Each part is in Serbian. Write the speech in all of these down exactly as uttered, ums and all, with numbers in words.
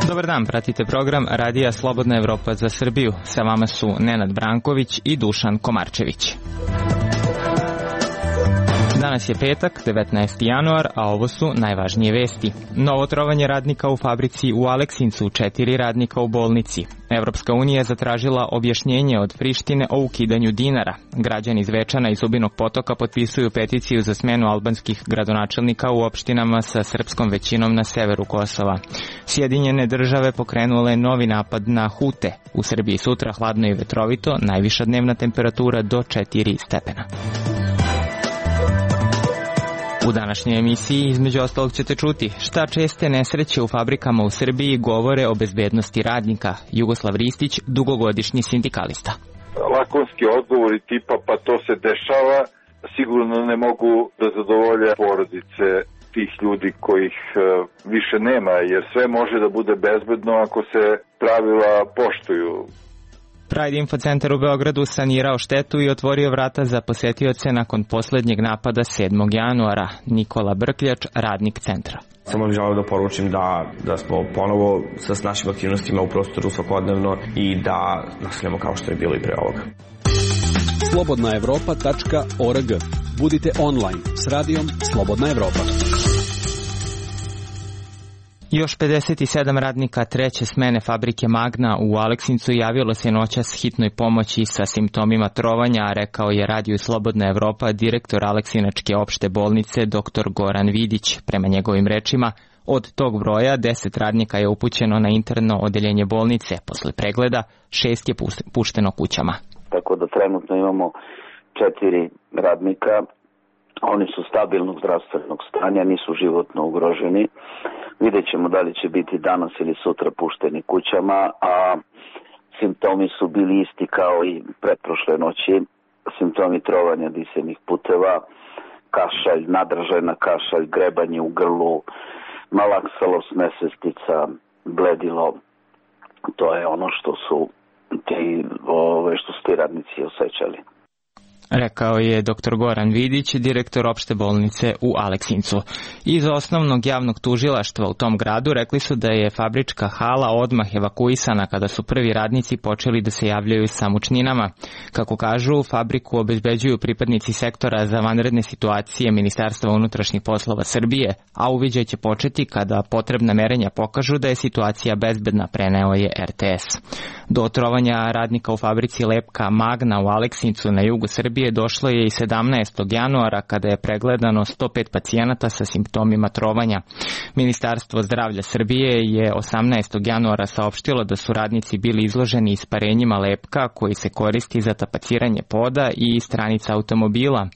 Dobar dan, pratite program Radija Slobodna Evropa za Srbiju. Sa vama su Nenad Branković i Dušan Komarčević. Danas je petak, devetnaesti januar, a ovo su najvažnije vesti. Novo trovanje radnika u fabrici u Aleksincu, četiri radnika u bolnici. Evropska unija je zatražila objašnjenje od Prištine o ukidanju dinara. Građani Zvečana i Zubinog Potoka potpisuju peticiju za smenu albanskih gradonačelnika u opštinama sa srpskom većinom na severu Kosova. Sjedinjene države pokrenule novi napad na Hute. U Srbiji sutra hladno i vetrovito, najviša dnevna temperatura do četiri stepena. U današnjoj emisiji između ostalog ćete čuti šta česte nesreće u fabrikama u Srbiji govore o bezbednosti radnika. Jugoslav Ristić, dugogodišnji sindikalista. Lakonski odgovori tipa pa to se dešava, sigurno ne mogu da zadovolje porodice tih ljudi kojih više nema, jer sve može da bude bezbedno ako se pravila poštuju. Pride Info Centar u Beogradu sanirao štetu i otvorio vrata za posetioce nakon poslednjeg napada sedmog januara. Nikola Brkljač, radnik centra. Samo bih želeo da poručim da, da smo ponovo sa našim aktivnostima u prostoru svakodnevno i da nastavljamo kao što je bilo i pre ovoga. slobodna evropa tačka org. Budite online s radijom Slobodna Evropa. Još pedeset sedam radnika treće smene fabrike Magna u Aleksincu javilo se noćas hitnoj pomoći sa simptomima trovanja, rekao je Radio Slobodna Evropa direktor Aleksinačke opšte bolnice dr. Goran Vidić. Prema njegovim rečima, od tog broja deset radnika je upućeno na interno odeljenje bolnice. Posle pregleda šest je pušteno kućama. Tako da trenutno imamo četiri radnika. Oni su stabilnog zdravstvenog stanja, nisu životno ugroženi. Vidjet ćemo da li će biti danas ili sutra pušteni kućama, a simptomi su bili isti kao i pretprošle noći. Simptomi trovanja disenih puteva, kašalj, nadržajna kašalj, grebanje u grlu, malaksalost, nesvestica, bledilo. To je ono što su ti, ove, što su ti radnici osjećali. Rekao je dr. Goran Vidić, direktor opšte bolnice u Aleksincu. Iz osnovnog javnog tužilaštva u tom gradu rekli su da je fabrička hala odmah evakuisana kada su prvi radnici počeli da se javljaju sa mučninama. Kako kažu, fabriku obezbeđuju pripadnici sektora za vanredne situacije Ministarstva unutrašnjih poslova Srbije, a uviđaj će početi kada potrebna merenja pokažu da je situacija bezbedna, preneo je er te es. Do otrovanja radnika u fabrici lepka Magna u Aleksincu na jugu Srbije došlo je i sedamnaestog januara kada je pregledano sto pet pacijenata sa simptomima trovanja. Ministarstvo zdravlja Srbije je osamnaestog januara saopštilo da su radnici bili izloženi isparenjima lepka koji se koristi za tapaciranje poda i stranica automobila.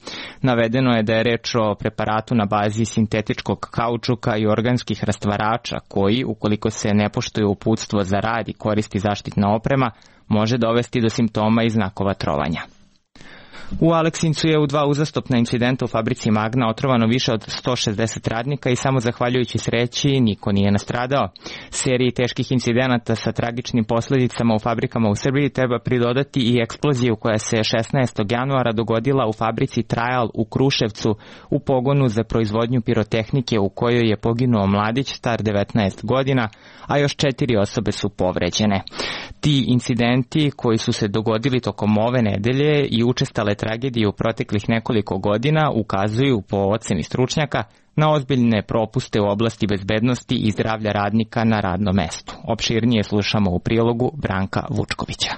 Navedeno je da je reč o preparatu na bazi sintetičkog kaučuka i organskih rastvarača koji, ukoliko se ne poštuje uputstvo za rad i koristi zaštitna oprema, može dovesti do simptoma i znakova trovanja. U Aleksincu je u dva uzastopna incidenta u fabrici Magna otrovano više od sto šezdeset radnika i samo zahvaljujući sreći niko nije nastradao. Seriji teških incidenata sa tragičnim posledicama u fabrikama u Srbiji treba pridodati i eksploziju koja se šesnaestog januara dogodila u fabrici Trajal u Kruševcu u pogonu za proizvodnju pirotehnike u kojoj je poginuo mladić star devetnaest godina, a još četiri osobe su povređene. Ti incidenti koji su se dogodili tokom ove nedelje i učestale tragedije u proteklih nekoliko godina ukazuju po oceni stručnjaka na ozbiljne propuste u oblasti bezbednosti i zdravlja radnika na radnom mestu. Opširnije slušamo u prilogu Branka Vučkovića.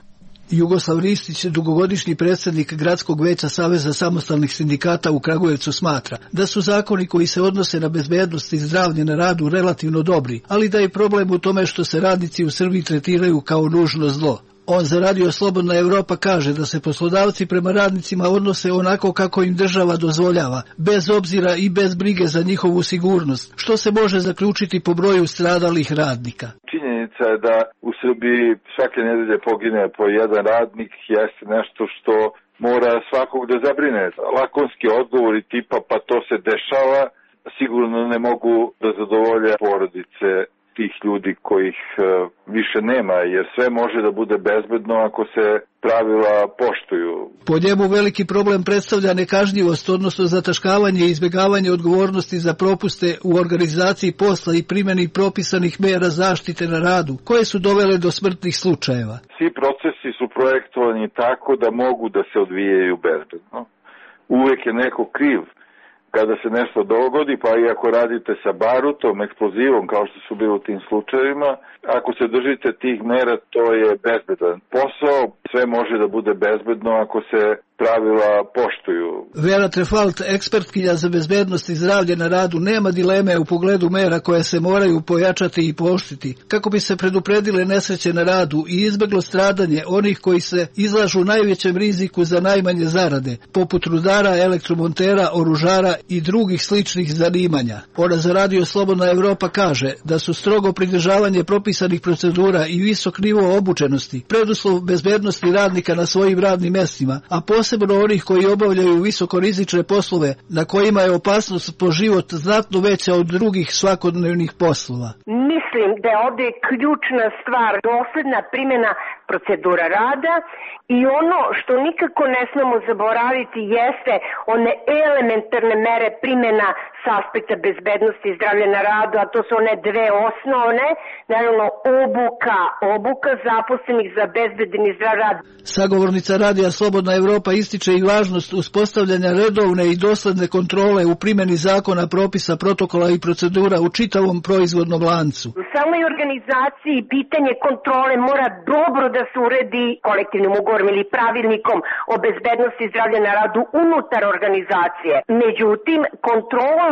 Jugoslav Ristić, dugogodišnji predsjednik Gradskog veća Saveza samostalnih sindikata u Kragujevcu, smatra da su zakoni koji se odnose na bezbednost i zdravlje na radu relativno dobri, ali da je problem u tome što se radnici u Srbiji tretiraju kao nužno zlo. On za Radio Slobodna Evropa kaže da se poslodavci prema radnicima odnose onako kako im država dozvoljava, bez obzira i bez brige za njihovu sigurnost, što se može zaključiti po broju stradalih radnika. Činjenica je da u Srbiji svake nedelje pogine po jedan radnik, jeste nešto što mora svakog da zabrine. Lakonski odgovori tipa pa to se dešava, sigurno ne mogu da zadovolje porodice tih ljudi kojih više nema, jer sve može da bude bezbedno ako se pravila poštuju. Po njemu veliki problem predstavlja nekažnjivost, odnosno zataškavanje i izbjegavanje odgovornosti za propuste u organizaciji posla i primjeni propisanih mera zaštite na radu, koje su dovele do smrtnih slučajeva. Svi procesi su projektovani tako da mogu da se odvijaju bezbedno. Uvek je neko kriv kada se nešto dogodi, pa i ako radite sa barutom, eksplozivom, kao što su bili u tim slučajevima, ako se držite tih mera, to je bezbedan posao. Sve može da bude bezbedno ako se pravila poštuju. Vera Trefalt, ekspertkinja za bezbednost i zdravlje na radu, nema dileme u pogledu mera koje se moraju pojačati i pooštriti, kako bi se predupredile nesreće na radu i izbeglo stradanje onih koji se izlažu najvećem riziku za najmanje zarade, poput rudara, elektromontera, oružara i drugih sličnih zanimanja. Ona za Radio Slobodna Evropa kaže da su strogo pridržavanje propisanih procedura i visok nivo obučenosti preduslov bezbednosti radnika na svojim radnim mestima, a posebno onih koji obavljaju visokorizične poslove na kojima je opasnost po život znatno veća od drugih svakodnevnih poslova. Mislim da je ovdje ključna stvar dosledna primjena procedura rada i ono što nikako ne smemo zaboraviti jeste one elementarne mere primjena s aspekta bezbednosti i zdravlja na radu, a to su one dve osnovne, naravno obuka, obuka zaposlenih za bezbedan i zdrav rad. Sagovornica Radija Slobodna Evropa ističe i važnost uspostavljanja redovne i dosledne kontrole u primjeni zakona, propisa, protokola i procedura u čitavom proizvodnom lancu. U samoj organizaciji pitanje kontrole mora dobro da se uredi kolektivnim ugovorom ili pravilnikom o bezbednosti i zdravlja na radu unutar organizacije. Međutim, kontrolu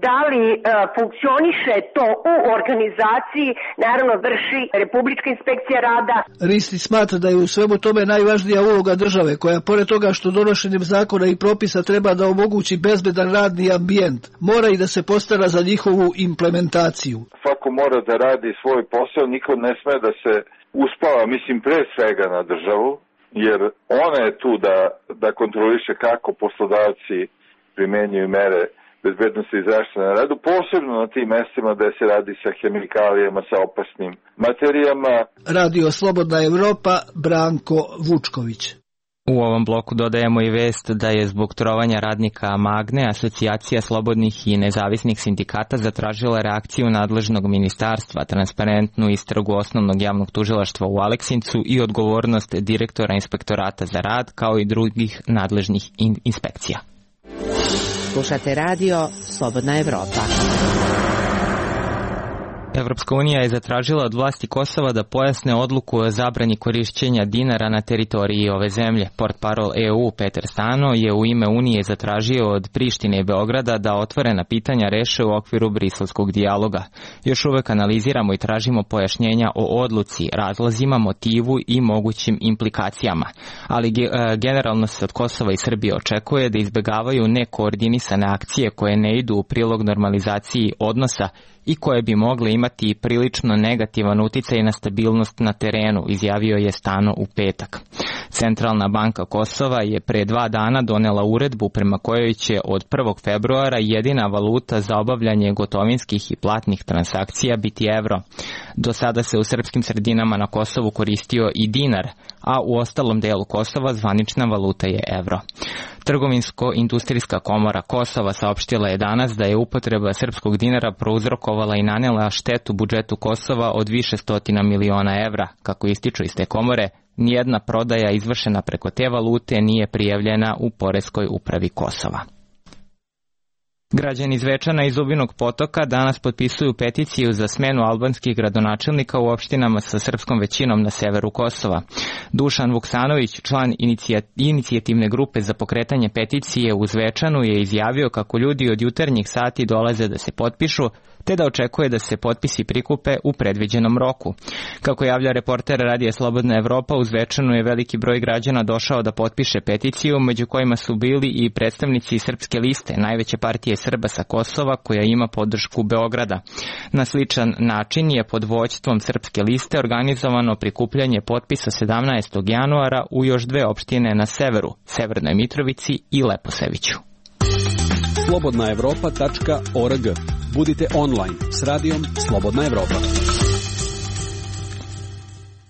da li e, funkcioniše to u organizaciji, naravno vrši Republička inspekcija rada. Risti smatra da je u svemu tome najvažnija uloga države, koja pored toga što donošenjem zakona i propisa treba da omogući bezbedan radni ambijent, mora i da se postara za njihovu implementaciju. Svako mora da radi svoj posao, niko ne sme da se uspava, mislim pre svega na državu, jer ona je tu da, da kontroliše kako poslodavci primenjuju mere bezbednosti i zaštite na radu, posebno na tim mestima da se radi sa hemikalijama, sa opasnim materijama. Radio Slobodna Evropa, Branko Vučković. U ovom bloku dodajemo i vest da je zbog trovanja radnika Magne Asocijacija slobodnih i nezavisnih sindikata zatražila reakciju nadležnog ministarstva, transparentnu istragu osnovnog javnog tužilaštva u Aleksincu i odgovornost direktora inspektorata za rad, kao i drugih nadležnih in- inspekcija. Slušate radio Slobodna Evropa. Evropska unija je zatražila od vlasti Kosova da pojasne odluku o zabrani korišćenja dinara na teritoriji ove zemlje. Portparol E U Peter Stano je u ime Unije zatražio od Prištine i Beograda da otvorena pitanja reše u okviru briselskog dijaloga. Još uvek analiziramo i tražimo pojašnjenja o odluci, razlozima, motivu i mogućim implikacijama. Ali generalno se od Kosova i Srbije očekuje da izbegavaju nekoordinisane akcije koje ne idu u prilog normalizaciji odnosa i koje bi mogle imati prilično negativan uticaj na stabilnost na terenu, izjavio je Stano u petak. Centralna banka Kosova je pre dva dana donela uredbu prema kojoj će od prvog februara jedina valuta za obavljanje gotovinskih i platnih transakcija biti evro. Do sada se u srpskim sredinama na Kosovu koristio i dinar, a u ostalom delu Kosova zvanična valuta je evro. Trgovinsko-industrijska komora Kosova saopštila je danas da je upotreba srpskog dinara prouzrokovala i nanela štetu budžetu Kosova od više stotina miliona evra. Kako ističu iz te komore, nijedna prodaja izvršena preko te valute nije prijavljena u poreskoj upravi Kosova. Građani Zvečana i Zubinog Potoka danas potpisuju peticiju za smenu albanskih gradonačelnika u opštinama sa srpskom većinom na severu Kosova. Dušan Vuksanović, član inicijativne grupe za pokretanje peticije u Zvečanu, je izjavio kako ljudi od jutarnjih sati dolaze da se potpišu, te da očekuje da se potpisi prikupe u predviđenom roku. Kako javlja reporter Radija Slobodna Evropa, u Zvečanu je veliki broj građana došao da potpiše peticiju, među kojima su bili i predstavnici Srpske liste, najveće partije Srba sa Kosova, koja ima podršku Beograda. Na sličan način je pod vođstvom Srpske liste organizovano prikupljanje potpisa sedamnaestog januara u još dve opštine na severu, Severnoj Mitrovici i Leposeviću. slobodna evropa tačka org. Budite online s radijom Slobodna Evropa.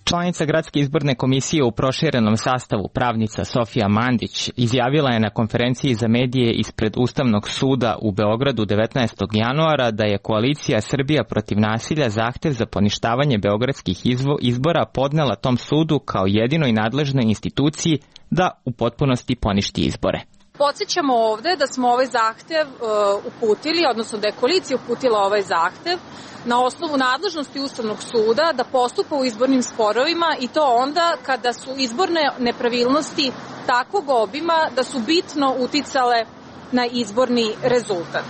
Članica Gradske izborne komisije u proširenom sastavu, pravnica Sofija Mandić, izjavila je na konferenciji za medije ispred Ustavnog suda u Beogradu devetnaestog januara da je koalicija Srbija protiv nasilja zahtev za poništavanje beogradskih izbora podnela tom sudu kao jedinoj nadležnoj instituciji da u potpunosti poništi izbore. Podsjećamo ovde da smo ovaj zahtev uh, uputili, odnosno da je koalicija uputila ovaj zahtev na osnovu nadležnosti Ustavnog suda da postupa u izbornim sporovima i to onda kada su izborne nepravilnosti takvog obima da su bitno uticale na izborni rezultat.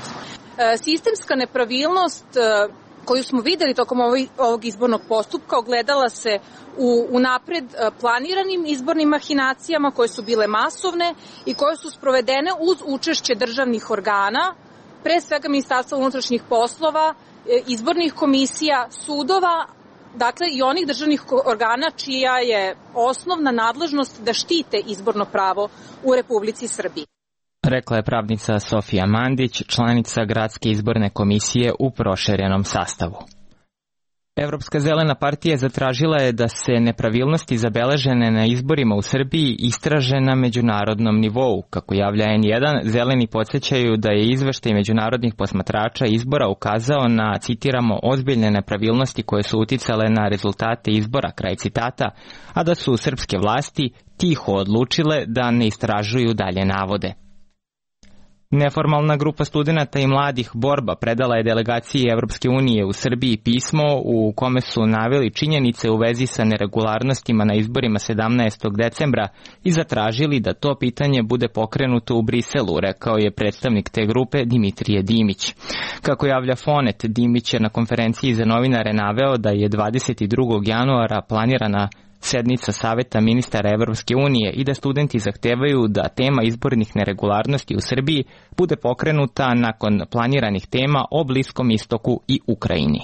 E, sistemska nepravilnost e, koju smo videli tokom ovog, ovog izbornog postupka ogledala se u unapred planiranim izbornim mahinacijama koje su bile masovne i koje su sprovedene uz učešće državnih organa, pre svega Ministarstva unutrašnjih poslova, izbornih komisija, sudova, dakle i onih državnih organa čija je osnovna nadležnost da štite izborno pravo u Republici Srbiji. Rekla je pravnica Sofija Mandić, članica Gradske izborne komisije u proširenom sastavu. Evropska zelena partija zatražila je da se nepravilnosti zabeležene na izborima u Srbiji istraže na međunarodnom nivou. Kako javlja en jedan, zeleni podsjećaju da je izveštaj međunarodnih posmatrača izbora ukazao na, citiramo, ozbiljne nepravilnosti koje su uticale na rezultate izbora, kraj citata, a da su srpske vlasti tiho odlučile da ne istražuju dalje navode. Neformalna grupa studenata i mladih Borba predala je delegaciji Evropske unije u Srbiji pismo u kome su naveli činjenice u vezi sa neregularnostima na izborima sedamnaestog decembra i zatražili da to pitanje bude pokrenuto u Briselu, rekao je predstavnik te grupe Dimitrije Dimić. Kako javlja Fonet, Dimić je na konferenciji za novinare naveo da je dvadeset drugog januara planirana sednica Saveta ministara Evropske unije i da studenti zahtevaju da tema izbornih neregularnosti u Srbiji bude pokrenuta nakon planiranih tema o Bliskom istoku i Ukrajini.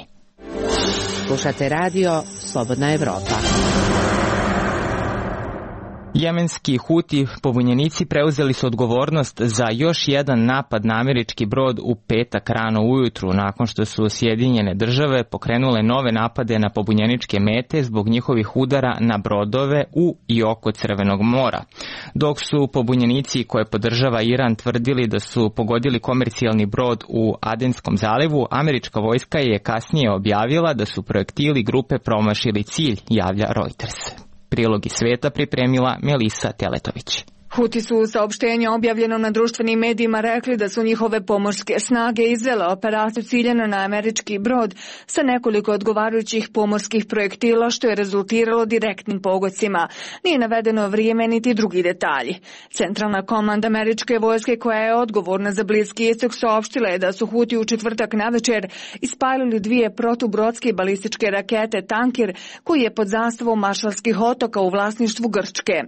Slušate radio Slobodna Evropa. Jemenski Huti pobunjenici preuzeli su odgovornost za još jedan napad na američki brod u petak rano ujutru, nakon što su Sjedinjene države pokrenule nove napade na pobunjeničke mete zbog njihovih udara na brodove u i oko Crvenog mora. Dok su pobunjenici koje podržava Iran tvrdili da su pogodili komercijalni brod u Adenskom zalivu, američka vojska je kasnije objavila da su projektili grupe promašili cilj, javlja Reuters. Prilog iz sveta pripremila Melisa Teletović. Huti su u saopštenju objavljenom na društvenim medijima rekli da su njihove pomorske snage izvele operaciju ciljeno na američki brod sa nekoliko odgovarajućih pomorskih projektila, što je rezultiralo direktnim pogodcima. Nije navedeno vrijeme niti drugi detalji. Centralna komanda američke vojske koja je odgovorna za Bliski istok saopštila je da su Huti u četvrtak navečer ispalili dvije protubrodske balističke rakete Tankir koji je pod zastavom Maršalskih otoka u vlasništvu Grčke.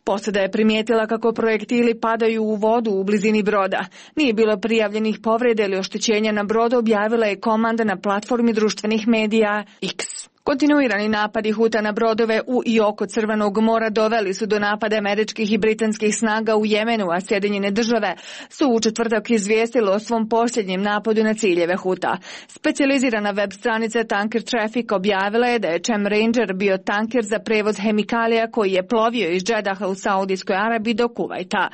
Posada je primijetila kako projektili padaju u vodu u blizini broda. Nije bilo prijavljenih povreda ili oštećenja na brodu, objavila je komanda na platformi društvenih medija X. Kontinuirani napadi Huta na brodove u i oko Crvenog mora doveli su do napada američkih i britanskih snaga u Jemenu, a Sjedinjene države su u četvrtak izvijestile o svom posljednjem napadu na ciljeve Huta. Specijalizirana web stranica Tanker Traffic objavila je da je Chem Ranger bio tanker za prevoz hemikalija koji je plovio iz Džedaha u Saudijskoj Arabiji do Kuvajta.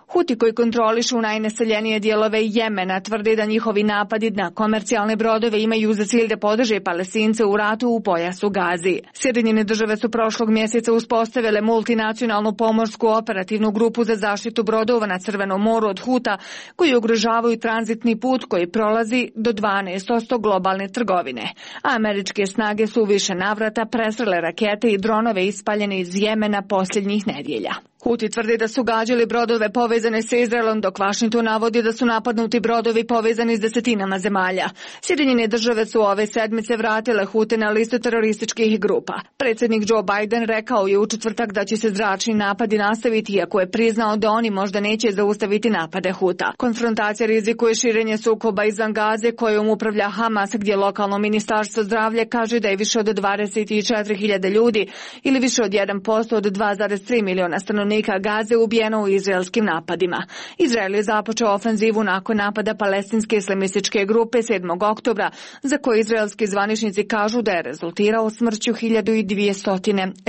Huti koji kontrolišu najnaseljenije dijelove Jemena tvrde da njihovi napadi na komercijalne brodove imaju za cilj da podrže Palestince u ratu u pojasu Gazi. Sjedinjene države su prošlog mjeseca uspostavile multinacionalnu pomorsku operativnu grupu za zaštitu brodova na Crvenom moru od Huta koji ugrožavaju tranzitni put koji prolazi do dvanaest posto globalne trgovine. A američke snage su u više navrata presrele rakete i dronove ispaljene iz Jemena posljednjih nedjelja. Huti tvrde da su gađali brodove povezane sa Izraelom, dok Washington navodi da su napadnuti brodovi povezani s desetinama zemalja. Sjedinjene države su ove sedmice vratile Hute na listu terorističkih grupa. Predsjednik Joe Biden rekao je u četvrtak da će se zračni napadi nastaviti, iako je priznao da oni možda neće zaustaviti napade Huta. Konfrontacija rizikuje širenje sukoba izvan Gaze kojom upravlja Hamas, gdje lokalno ministarstvo zdravlja kaže da je više od dvadeset četiri hiljade ljudi ili više od jedan posto od dva zarez tri miliona stanovnika stanovnika Gaze ubijeno u izraelskim napadima. Izrael je započeo ofenzivu nakon napada palestinske islamističke grupe sedmog oktobra, za koje izraelski zvaničnici kažu da je rezultirao smrću hiljadu dvesta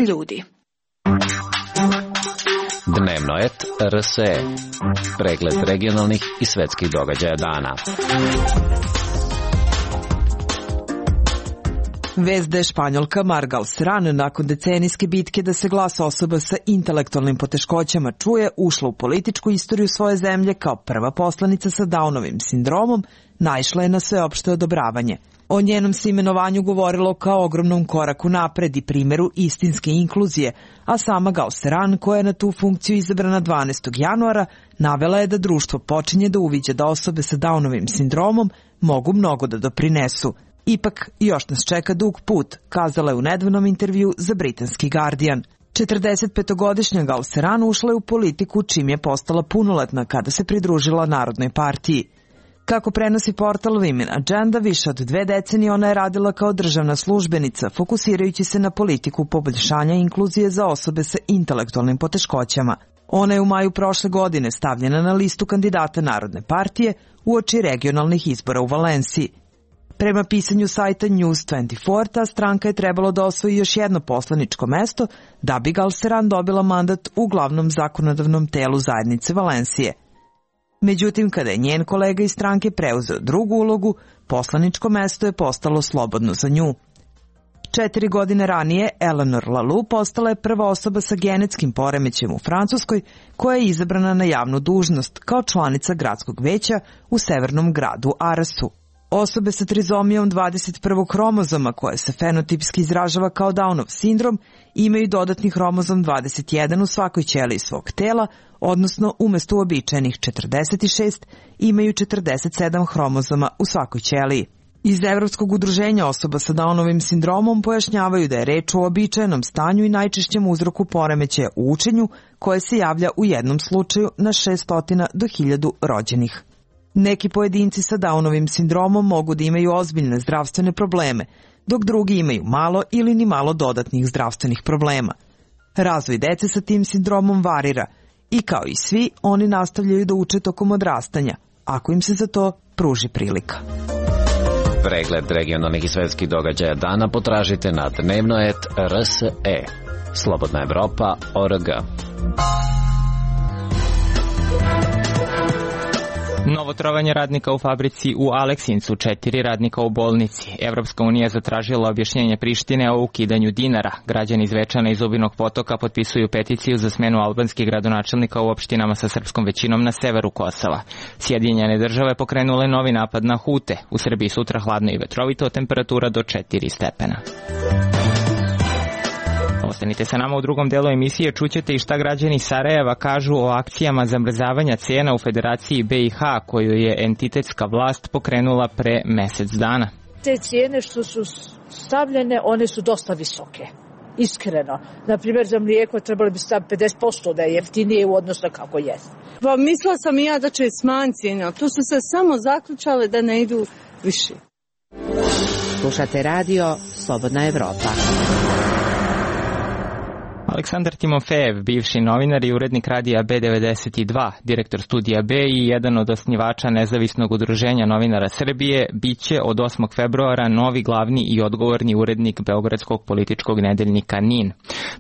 ljudi. Dnevno et R S E. Pregled regionalnih i svetskih događaja dana. Vest da je Španjolka Margal Serran nakon decenijske bitke da se glas osoba sa intelektualnim poteškoćama čuje, ušla u političku istoriju svoje zemlje kao prva poslanica sa Downovim sindromom, naišla je na sveopšte odobravanje. O njenom se imenovanju govorilo kao ogromnom koraku napred i primjeru istinske inkluzije, a sama Gal Serran, koja je na tu funkciju izabrana dvanaestog januara, navela je da društvo počinje da uviđa da osobe sa Downovim sindromom mogu mnogo da doprinesu. Ipak, još nas čeka dug put, kazala je u nedavnom intervju za britanski Guardian. četrdesetpetogodišnja Gal Serran ušla je u politiku čim je postala punoletna kada se pridružila Narodnoj partiji. Kako prenosi portal Women Agenda, više od dve decenije ona je radila kao državna službenica, fokusirajući se na politiku poboljšanja inkluzije za osobe sa intelektualnim poteškoćama. Ona je u maju prošle godine stavljena na listu kandidata Narodne partije uoči regionalnih izbora u Valenciji. Prema pisanju sajta News dvadeset četiri, ta stranka je trebalo da osvoji još jedno poslaničko mesto da bi Gal Serran dobila mandat u glavnom zakonodavnom telu zajednice Valencije. Međutim, kada je njen kolega iz stranke preuzeo drugu ulogu, poslaničko mesto je postalo slobodno za nju. Četiri godine ranije, Eleanor Lalou postala je prva osoba sa genetskim poremećajem u Francuskoj koja je izabrana na javnu dužnost kao članica gradskog veća u severnom gradu Arasu. Osobe sa trizomijom dvadeset prvog hromozoma, koje se fenotipski izražava kao Downov sindrom, imaju dodatni hromozom dvadeset jedan u svakoj ćeliji svog tela, odnosno umesto uobičajenih četrdeset šest imaju četrdeset sedam hromozoma u svakoj ćeliji. Iz Evropskog udruženja osoba sa Downovim sindromom pojašnjavaju da je reč o uobičajenom stanju i najčešćem uzroku poremećaja u učenju, koje se javlja u jednom slučaju na šesto do hiljadu rođenih. Neki pojedinci sa Downovim sindromom mogu da imaju ozbiljne zdravstvene probleme, dok drugi imaju malo ili ni malo dodatnih zdravstvenih problema. Razvoj dece sa tim sindromom varira i kao i svi, oni nastavljaju da uče tokom odrastanja, ako im se za to pruži prilika. Pregled regionalnih i svetskih događaja dana potražite na dnevno et R S E. Slobodna Evropa точка org. Novo trovanje radnika u fabrici u Aleksincu, četiri radnika u bolnici. Evropska unija zatražila objašnjenje Prištine o ukidanju dinara. Građani Zvečana i Zubinog Potoka potpisuju peticiju za smenu albanskih gradonačelnika u opštinama sa srpskom većinom na severu Kosova. Sjedinjene države pokrenule novi napad na Hute. U Srbiji sutra hladno i vetrovito, temperatura do četiri stepena. Ostanite sa nama u drugom delu emisije, čućete i šta građani Sarajeva kažu o akcijama zamrzavanja cena u Federaciji B i H koju je entitetska vlast pokrenula pre mesec dana. Te cijene što su stavljene, one su dosta visoke. Iskreno. Naprimjer, za mlijeko trebalo bi staviti pedeset posto da je jeftinije u odnosu kako je. Pa mislila sam i ja da će smanjiti cijene, tu su se samo zaključale da ne idu više. Slušate radio Slobodna Evropa. Aleksandar Timofejev, bivši novinar i urednik radija B devedeset dva, direktor studija B i jedan od osnivača nezavisnog udruženja novinara Srbije, biće od osmog februara novi glavni i odgovorni urednik beogradskog političkog nedeljnika N I N.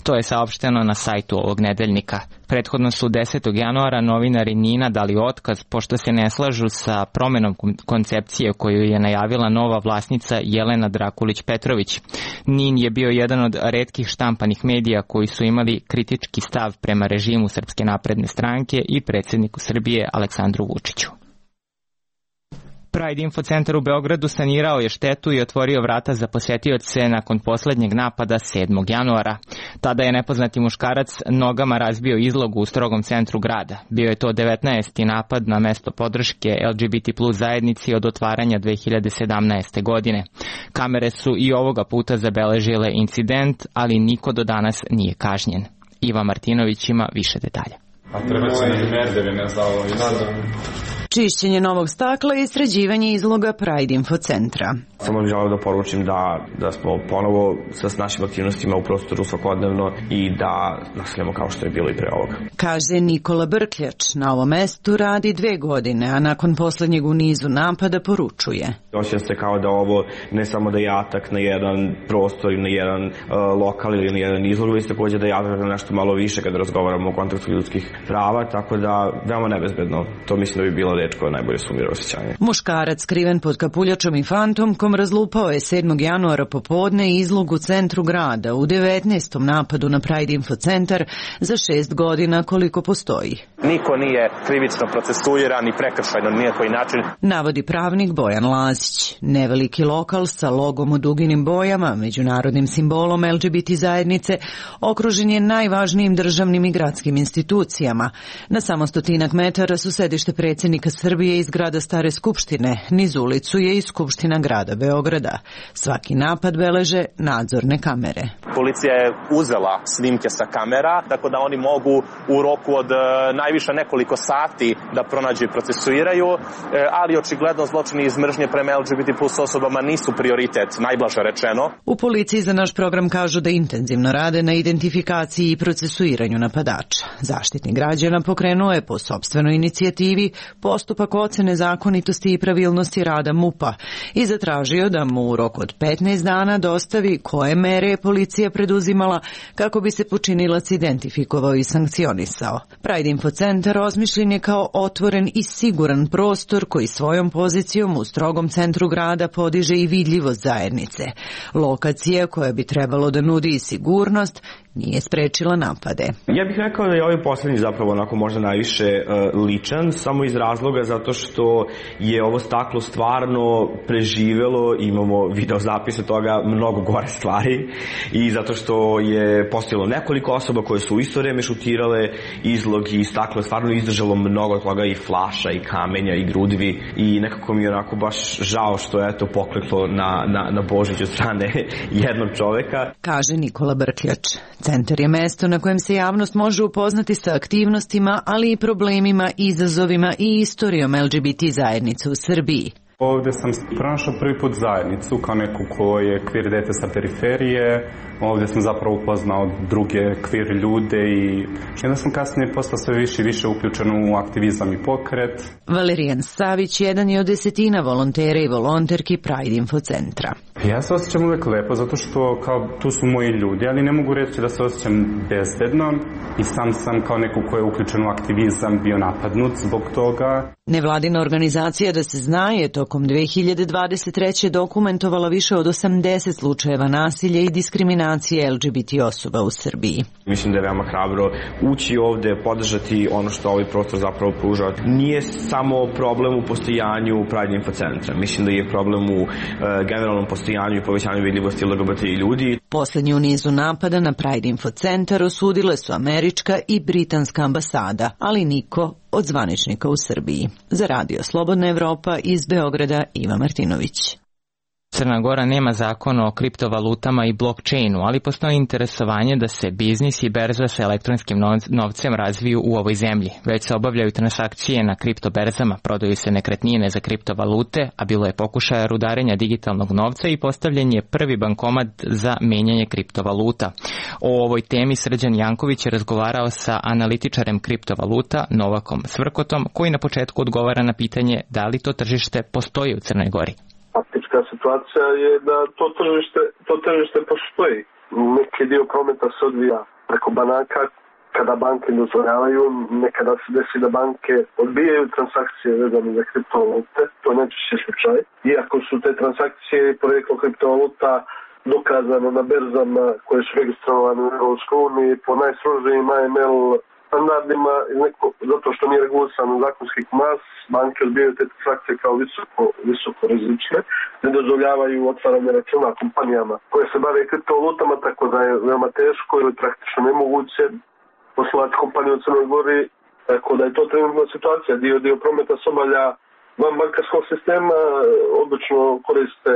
To je saopšteno na sajtu ovog nedeljnika. Prethodno su desetog januara novinari N I N-a dali otkaz pošto se ne slažu sa promenom koncepcije koju je najavila nova vlasnica Jelena Drakulić-Petrović. N I N je bio jedan od retkih štampanih medija koji su imali kritički stav prema režimu Srpske napredne stranke i predsjedniku Srbije Aleksandru Vučiću. Pride Info centar u Beogradu sanirao je štetu i otvorio vrata za posetioce nakon poslednjeg napada sedmog januara. Tada je nepoznati muškarac nogama razbio izlogu u strogom centru grada. Bio je to devetnaesti napad na mesto podrške L G B T plus zajednici od otvaranja dve hiljade sedamnaeste. godine. Kamere su i ovoga puta zabeležile incident, ali niko do danas nije kažnjen. Iva Martinović ima više detalja. A treba se na merdeve, ne znao. čišćenje novog stakla i sređivanje izloga Pride Info centra. Samo bih želeo da poručim da, da smo ponovo sa našim aktivnostima u prostoru svakodnevno i da nastavljamo kao što je bilo i pre ovoga. Kaže Nikola Brkljač, na ovom mestu radi dve godine, a nakon poslednjeg u nizu napada poručuje. Osjećam se kao da ovo ne samo da je atak na jedan prostor i na jedan uh, lokal ili na jedan izlog, već takođe da je atak na nešto malo više kada razgovaramo o kontekstu ljudskih prava, tako da veoma nebezbedno. To mislim da bi bila reč koja najbolje sumira osjećanje. Muškarac skriven pod kapuljačom i fantomkom razlupao je sedmog januara popodne izlog u centru grada u devetnaestom napadu na Pride Info centar za šest godina koliko postoji. Niko nije krivično procesuiran i prekršajno ni na koji način. Navodi pravnik Bojan Lazić. Neveliki lokal sa logom u duginim bojama, međunarodnim simbolom L G B T zajednice, okružen je najvažnijim državnim i gradskim institucijama. Na samo stotinak metara su sedište predsjednika Srbije iz grada Stare skupštine, niz ulicu je i Skupština grada Beograda. Svaki napad beleže nadzorne kamere. Policija je uzela snimke sa kamera, tako da oni mogu u roku od najviše nekoliko sati da pronađu i procesuiraju, ali očigledno zločini iz mržnje prema L G B T plus osobama nisu prioritet, najblaže rečeno. U policiji za naš program kažu da intenzivno rade na identifikaciji i procesuiranju napadača. Zaštitnik građana pokrenuo je po sopstvenoj inicijativi postupak ocene zakonitosti i pravilnosti rada M U P-a i zatražio da mu u roku od petnaest dana dostavi koje mere je policija preduzimala kako bi se počinilac identifikovao i sankcionisao. Pride Info centar osmišljen je kao otvoren i siguran prostor koji svojom pozicijom u strogom centru grada podiže i vidljivost zajednice. Lokacija koja bi trebalo da nudi i sigurnost nije sprečila napade. Ja bih rekao da je ovaj poslednji zapravo onako možda najviše uh, ličan, samo iz razloga zato što je ovo staklo stvarno preživelo, imamo video zapise toga, mnogo gore stvari i zato što je postojalo nekoliko osoba koje su u isto vreme šutirale izlog i staklo je stvarno izdržalo mnogo toga i flaša i kamenja i grudvi i nekako mi je onako baš žao što je to pokleklo na, na, na Božić od strane jednog čoveka. Kaže Nikola Brkljač. Centar je mesto na kojem se javnost može upoznati sa aktivnostima, ali i problemima, izazovima i istorijom L G B T zajednice u Srbiji. Ovde sam pronašao prvi put zajednicu kao neku ko je kvir dete sa periferije. Ovde sam zapravo upoznao druge kvir ljude i onda sam kasnije postao sve više i više uključen u aktivizam i pokret. Valerijan Savić jedan je od desetina volontera i volonterki Pride Info centra. Ja se osjećam uvek lepo zato što kao tu su moji ljudi, ali ne mogu reći da se osjećam bezbedno i sam sam kao neko ko je uključen u aktivizam bio napadnut zbog toga. Nevladina organizacija Da se zna je tokom dve hiljade dvadeset treće dokumentovala više od osamdeset slučajeva nasilja i diskriminacije L G B T osoba u Srbiji. Mislim da je veoma hrabro ući ovde, podržati ono što ovaj prostor zapravo pruža. Nije samo problem u postojanju Pride Info centra. Mislim da je problem u uh, generalnom postojanju i povećanju vidljivosti L G B T ljudi. Poslednji u nizu napada na Pride Info centar osudile su američka i britanska ambasada, ali niko od zvaničnika u Srbiji. Za Radio Slobodna Evropa iz Beograda Iva Martinović. Crna Gora nema zakon o kriptovalutama i blockchainu, ali postoji interesovanje da se biznis i berza sa elektronskim novcem razviju u ovoj zemlji. Već se obavljaju transakcije na kriptoberzama, prodaju se nekretnine za kriptovalute, a bilo je pokušaja rudarenja digitalnog novca i postavljen je prvi bankomat za menjanje kriptovaluta. O ovoj temi Srđan Janković je razgovarao sa analitičarem kriptovaluta Novakom Svrkotom, koji na početku odgovara na pitanje da li to tržište postoji u Crnoj Gori. Faktička situacija je da to tržište, to tržište postoji. Neki dio prometa se odvija preko banaka kada banke dozvoljavaju, nekada se desi da banke odbijaju transakcije vezane za kriptovalute, to je najčešće slučaj. Iako su te transakcije i poreklo kriptovaluta dokazano na berzama koje su registrovane u Europskoj uniji po najstrožijim A M L standardima, neko, zato što nije regulisano zakonskih mas, banke odbijaju te transakcije kao visoko, visoko rizične, ne dozvoljavaju otvaranje računa kompanijama koje se bave kriptovalutama, tako da je veoma teško ili praktično nemoguće poslovati kompaniju u Crnoj Gori, tako da je to trenutna situacija. Dio, dio prometa se obavlja van bankarskog sistema, obično koriste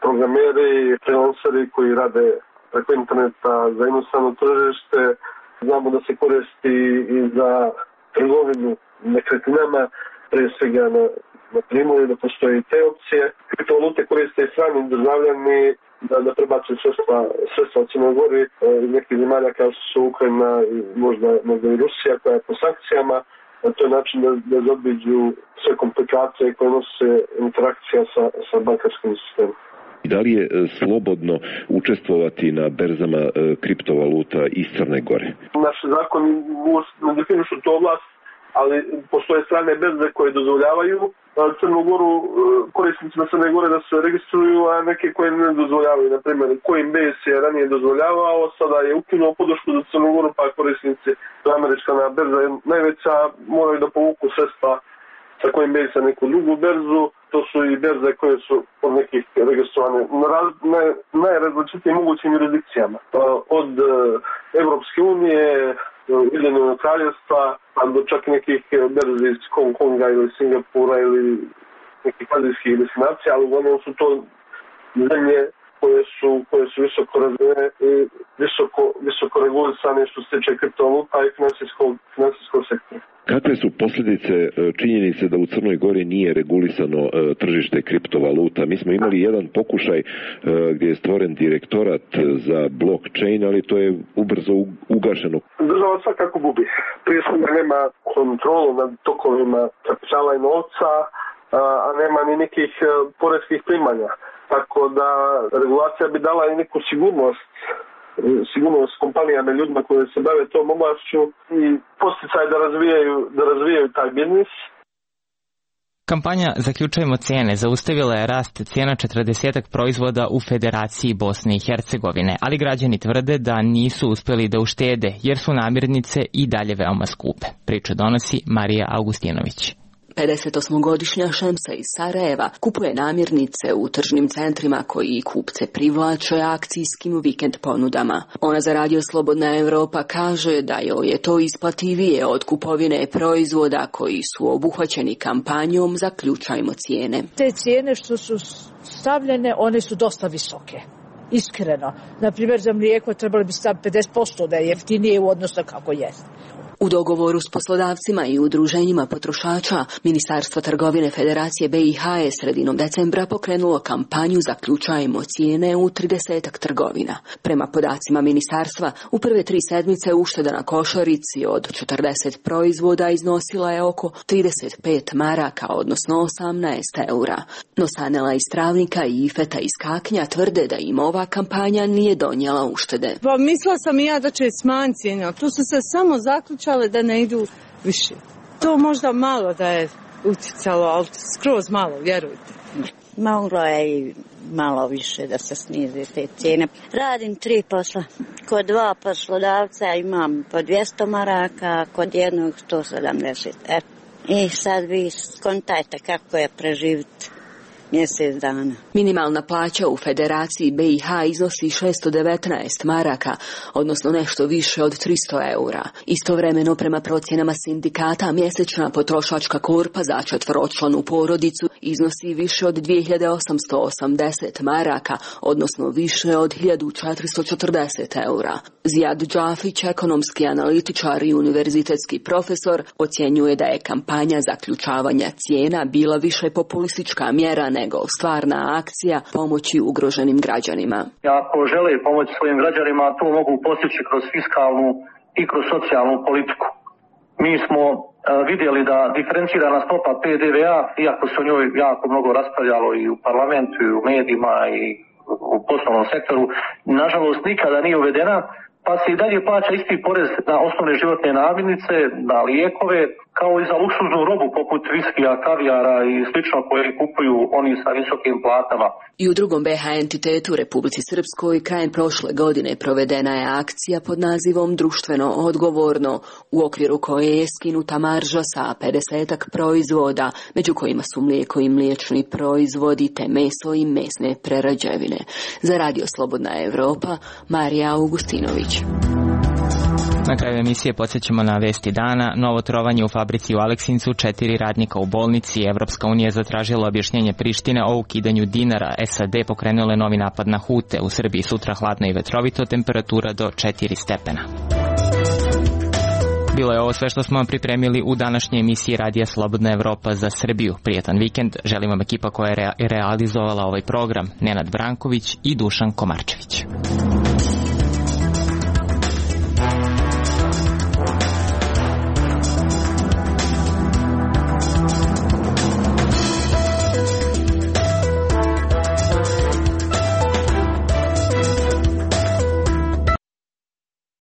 programeri, freelanceri koji rade preko interneta za inostrano tržište. Znamo da se koristi i za trgovinu nekretninama, pre svega na, na Primorju, da postoje i te opcije. Kriptovalute koriste i strani državljani da, da prebacuju sredstva, sredstva od Crnoj Gori iz nekih zemalja kao što su Ukrajina i možda, možda i Rusija koja je po sankcijama. To je način da, da zaobiđu sve komplikacije koje nose interakcija sa, sa bankarskim sistemom. Da li je slobodno učestvovati na berzama kriptovaluta iz Crne Gore? Naši zakoni ne definišu tu oblast, ali postoje strane berze koje dozvoljavaju Crnu Goru, korisnicima Crne Gore da se registruju, a neke koje ne dozvoljavaju. Na primjer, Coinbase je ranije dozvoljavao, sada je ukinuo podršku za Crnu Goru, pa korisnici, to je američka berza je najveća, moraju da povuku sredstva sa Coinbase na neku drugu berzu. To su i berze koje su od nekih registrovane na najrazličitijim mogućim jurisdikcijama. Od Evropske unije, Ujedinjenog kraljevstva, pa do čak nekih berzi iz Hong Konga ili Singapura ili nekih azijskih destinacija, ali uglavnom su to zemlje koje su, koje su visoko razvijene i visoko, visoko regulisane što se tiče kriptovaluta i finansijskog, finansijskog sektora. Kakve su posljedice činjenice da u Crnoj Gori nije regulisano tržište kriptovaluta? Mi smo imali jedan pokušaj gdje je stvoren direktorat za blockchain, ali to je ubrzo ugašeno. Država svakako gubi. Prije svega nema kontrolu nad tokovima kapitala i novca, a nema ni nekih poreskih primanja. Tako da regulacija bi dala i neku sigurnost sigurnost kompanijama i ljudima koji se bave tom oblašću i posticaj da razvijaju, da razvijaju taj biznis. Kampanja Zaključajmo cijene zaustavila je rast cijena četrdesetak proizvoda u Federaciji Bosne i Hercegovine, ali građani tvrde da nisu uspjeli da uštede jer su namirnice i dalje veoma skupe. Priču donosi Marija Augustinović. pedesetosmogodišnja Šemsa iz Sarajeva kupuje namirnice u tržnim centrima koji kupce privlače akcijskim vikend ponudama. Ona za Radio Slobodna Evropa kaže da joj je to isplativije od kupovine proizvoda koji su obuhvaćeni kampanjom Zaključajmo cijene. Te cijene što su stavljene, one su dosta visoke. Iskreno. Naprimjer, za mlijeko trebali bi staviti pedeset posto da je jeftinije u odnosu kako jest. U dogovoru s poslodavcima i udruženjima potrošača, Ministarstvo trgovine Federacije B i H je sredinom decembra pokrenulo kampanju Zaključajmo cijene u tridesetak trgovina. Prema podacima ministarstva, u prve tri sedmice ušteda na košarici od četrdeset proizvoda iznosila je oko trideset pet maraka, odnosno osamnaest eura. No Sanela iz Travnika i Ifeta iz Kaknja tvrde da im ova kampanja nije donijela uštede. Pa mislila sam i ja da će smanjiti cijene, tu su se samo zaključali da ne idu više. To možda malo da je uticalo, ali skroz malo, vjerujte. Moglo je i malo više da se snize te cijene. Radim tri posla. Kod dva poslodavca imam po dvjesto maraka, kod jednog sto sedamdeset. E, I sad vi skontajte kako je preživiti mjesec dana. Minimalna plaća u Federaciji B i H iznosi šesto devetnaest maraka, odnosno nešto više od tristo eura. Istovremeno, prema procjenama sindikata, mjesečna potrošačka korpa za četvoročlanu porodicu iznosi više od dvije hiljade osamsto osamdeset maraka, odnosno više od hiljadu četiristo četrdeset eura. Zijad Džafić, ekonomski analitičar i univerzitetski profesor, ocjenjuje da je kampanja zaključavanja cijena bila više populistička mjera nego stvarna akcija pomoći ugroženim građanima. Ako žele pomoći svojim građanima, to mogu postići kroz fiskalnu i kroz socijalnu politiku. Mi smo uh, vidjeli da diferencirana stopa P D V A, iako se o njoj jako mnogo raspravljalo i u parlamentu i u medijima i u poslovnom sektoru, nažalost nikada nije uvedena, pa se i dalje plaća isti porez na osnovne životne namirnice, na lijekove, kao i za luksuznu robu poput viskija, kavijara i slično koje kupuju oni sa visokim platama. I u drugom B H entitetu Republici Srpskoj krajem prošle godine provedena je akcija pod nazivom Društveno odgovorno, u okviru koje je skinuta marža sa pedesetak proizvoda, među kojima su mlijeko i mliječni proizvodi te meso i mesne prerađevine. Za Radio Slobodna Evropa, Marija Augustinović. Na kraju emisije podsjećamo na vesti dana. Novo trovanje u fabrici u Aleksincu, četiri radnika u bolnici. Evropska unija zatražila objašnjenje Prištine o ukidanju dinara. S A D pokrenule novi napad na Hute. U Srbiji sutra hladno i vetrovito, temperatura do četiri stepena. Bilo je ovo sve što smo vam pripremili u današnjoj emisiji Radija Slobodna Evropa za Srbiju. Prijetan vikend, želim vam ekipa koja je realizovala ovaj program, Nenad Branković i Dušan Komarčević.